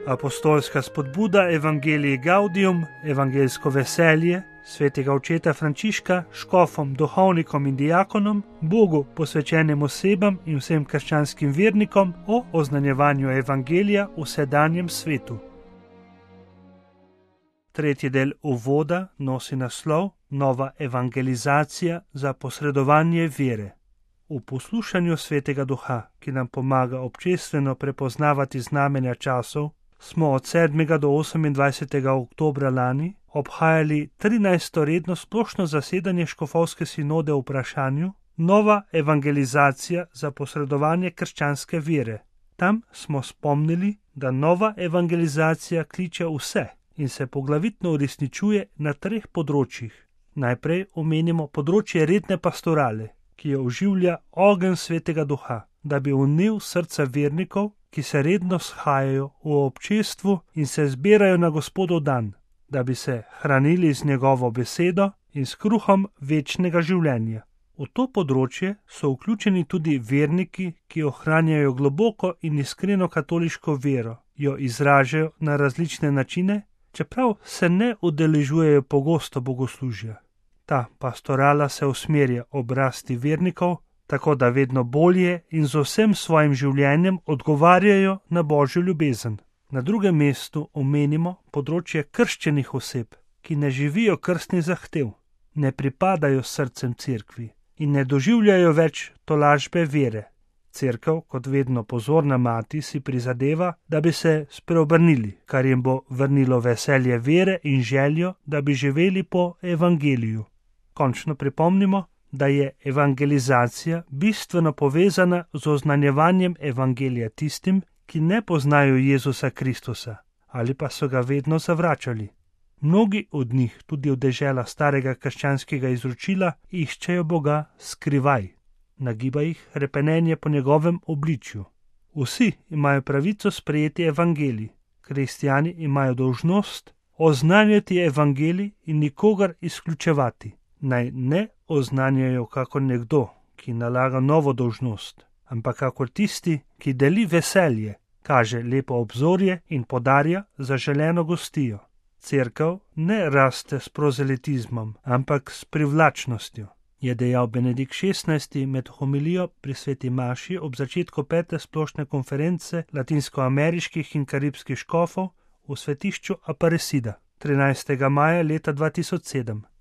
Apostolska spodbuda Evangelii Gaudium, evangeljsko veselje svetega očeta Frančiška, škofom, duhovnikom in diakonom, Bogu posvečenim osebam in vsem krščanskim vernikom o oznanjevanju evangelija v sedanjem svetu. Tretji del uvoda nosi naslov Nova evangelizacija za posredovanje vere. V poslušanju Svetega Duha, ki nam pomaga občestveno prepoznavati znamenja časov, smo od 7. do 28. oktobra lani obhajali 13. redno splošno zasedanje škofovske sinode o vprašanju Nova evangelizacija za posredovanje krščanske vere. Tam smo spomnili, da nova evangelizacija kliče vse in se poglavitno uresničuje na 3 področjih. Najprej omenimo področje redne pastorale, ki jo oživlja ogenj Svetega Duha, da bi vnel srca vernikov, ki se redno shajajo v občestvu in se zbirajo na Gospodov dan, da bi se hranili z njegovo besedo in s kruhom večnega življenja. V to področje so vključeni tudi verniki, ki ohranjajo globoko in iskreno katoliško vero, jo izražajo na različne načine, čeprav se ne udeležujejo pogosto bogoslužja. Ta pastorala se usmerja ob rasti vernikov, tako da vedno bolje in z vsem svojim življenjem odgovarjajo na Božjo ljubezen. Na drugem mestu omenimo področje krščenih oseb, ki ne živijo krstnih zahtev, ne pripadajo srcem cerkvi in ne doživljajo več tolažbe vere. Cerkev, kot vedno pozorna mati, si prizadeva, da bi se spreobrnili, kar jim bo vrnilo veselje vere in željo, da bi živeli po evangeliju. Končno pripomnimo, da je evangelizacija bistveno povezana z oznanjevanjem evangelija tistim, ki ne poznajo Jezusa Kristusa ali pa so ga vedno zavračali. Mnogi od njih, tudi v deželah starega krščanskega izročila, iščejo Boga skrivaj. Nagiba jih hrepenenje po njegovem obličju. Vsi imajo pravico sprejeti evangelij. Kristjani imajo dolžnost oznanjati evangelij in nikogar izključevati. Naj ne oznanjajo kakor nekdo, ki nalaga novo dolžnost, ampak kakor tisti, ki deli veselje, kaže lepo obzorje in podarja zaželeno gostijo. Cerkev ne raste s prozelitizmom, ampak s privlačnostjo, je dejal Benedikt XVI med homilijo pri sveti maši ob začetku 5. splošne konference latinskoameriških in karibskih škofov v svetišču Aparecida 13. maja leta 2007.